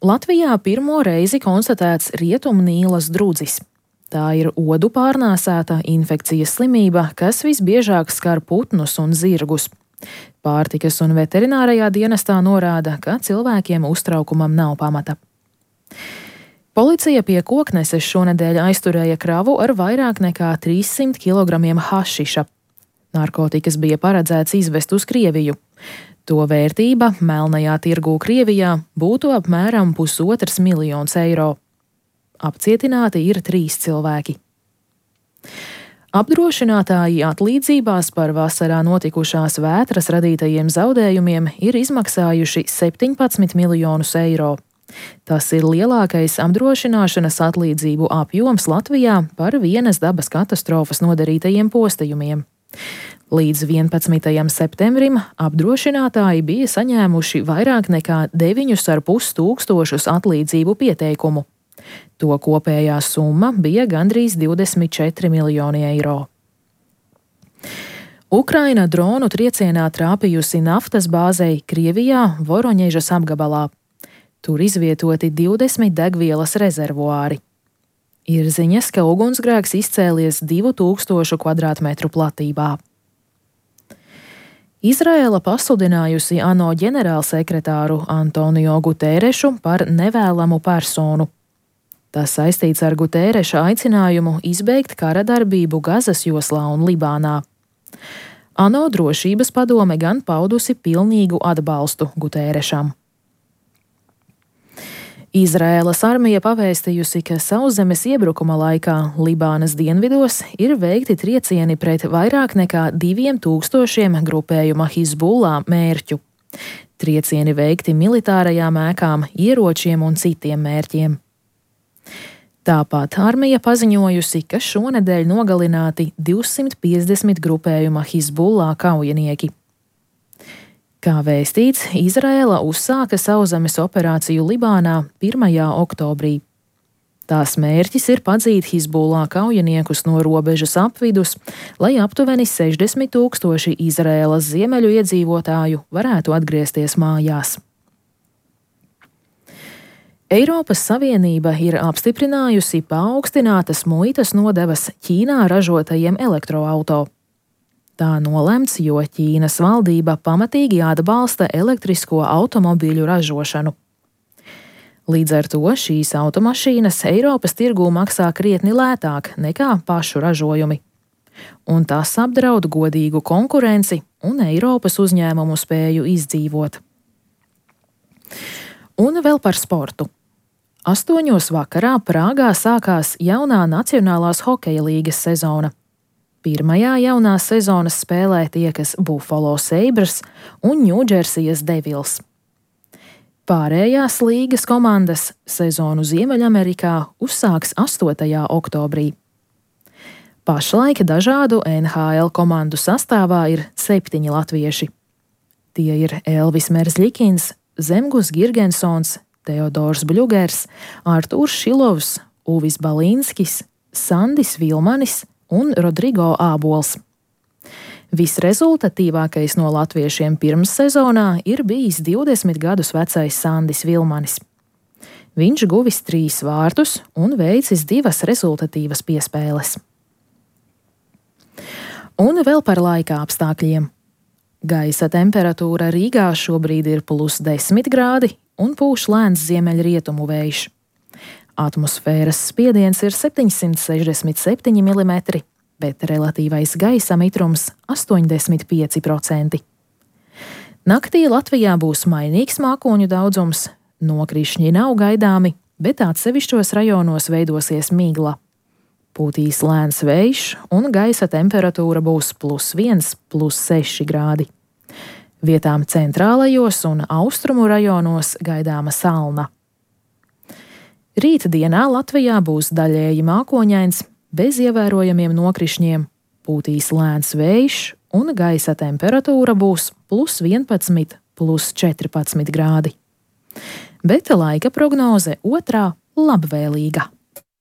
Latvijā pirmo reizi konstatēts Rietumnīlas drudzis. Tā ir odu pārnēsāta infekcijas slimība, kas visbiežāk skar putnus un zirgus. Pārtikas un veterinārajā dienestā norāda, ka cilvēkiem uztraukumam nav pamata. Policija pie Kokneses šonedēļ aizturēja kravu ar vairāk nekā 300 kg hašiša. Narkotikas bija paredzēts izvest uz Krieviju. To vērtība melnajā tirgū Krievijā būtu apmēram 1,5 miljons eiro. Apcietināti ir 3 cilvēki. Apdrošinātāji atlīdzībās par vasarā notikušās vētras radītajiem zaudējumiem ir izmaksājuši 17 miljonus eiro. Tas ir lielākais apdrošināšanas atlīdzību apjoms Latvijā par vienas dabas katastrofas nodarītajiem postījumiem. Līdz 11. septembrim apdrošinātāji bija saņēmuši vairāk nekā 9,5 tūkstošus atlīdzību pieteikumu. To kopējā summa bija gandrīz 24 miljoni eiro. Ukraina dronu triecienā trāpījusi naftas bāzei Krievijā Voroņežas apgabalā. Tur izvietoti 20 degvielas rezervuāri. Ir ziņas, ka ugunsgrēks izcēlies 2000 kvadrātmetru platībā. Izraēla pasludinājusi ANO ģenerālsekretāru Antonio Guterešu par nevēlamu personu. Tas saistīts ar Gutereša aicinājumu izbeigt kara darbību Gazas joslā un Libānā. ANO drošības padome gan paudusi pilnīgu atbalstu Guterešam. Izraēlas armija pavēstījusi, ka sauszemes iebrukuma laikā Libānas dienvidos ir veikti triecieni pret vairāk nekā 2000 grupējuma Hizbullah mērķu. Triecieni veikti militārajām ēkām, ieročiem un citiem mērķiem. Tāpat armija paziņojusi, ka šonedēļ nogalināti 250 grupējuma Hizbullah kaujinieki. Kā vēstīts, Izraēla uzsāka sauszemes operāciju Libānā 1. oktobrī. Tās mērķis ir padzīt Hizbullah kaujiniekus no robežas apvidus, lai aptuveni 60 000 Izraēlas ziemeļu iedzīvotāju varētu atgriezties mājās. Eiropas Savienība ir apstiprinājusi paaugstinātas muitas nodevas Ķīnā ražotajiem elektroauto. Tā nolemts, jo Ķīnas valdība pamatīgi atbalsta elektrisko automobīļu ražošanu. Līdz ar to šīs automašīnas Eiropas tirgū maksā krietni lētāk nekā pašu ražojumi. Un tas apdraud godīgu konkurenci un Eiropas uzņēmumu spēju izdzīvot. Un vēl par sportu. 8 vakarā Prāgā sākās jaunā Nacionālās hokeja līgas sezona. Pirmajā jaunās sezonas spēlē tiekas Buffalo Sabres un Ņūdžersijas Devils. Pārējās līgas komandas sezonu Ziemeļamerikā uzsāks 8. oktobrī. Pašlaik dažādu NHL komandu sastāvā ir 7 latvieši. Tie ir Elvis Merzļikins, Zemgus Girgensons, Teodors Bļugers, Artūrs Šilovs, Uvis Balīnskis, Sandis Vilmanis un Rodrigo Ābols. Visrezultatīvākais no latviešiem pirmssezonā ir bijis 20 gadus vecais Sandis Vilmanis. Viņš guvis 3 vārtus un veicis 2 rezultatīvas piespēles. Un vēl par laika apstākļiem. Gaisa temperatūra Rīgā šobrīd ir +10 grādi un pūš lēns ziemeļrietumu vējš. Atmosfēras spiediens ir 767 mm, bet relatīvais gaisa mitrums 85%. Naktī Latvijā būs mainīgs mākoņu daudzums, nokrišņi nav gaidāmi, bet atsevišķos rajonos veidosies migla. Pūtīs lēns vējš un gaisa temperatūra būs +1, +6 grādi. Vietām centrālajos un austrumu rajonos gaidāma salna. Rīt dienā Latvijā būs daļēji mākoņains, bez ievērojamiem nokrišņiem, pūtīs lēns vējš un gaisa temperatūra būs +11, +14 grādi. Bet laika prognoze otrā labvēlīga.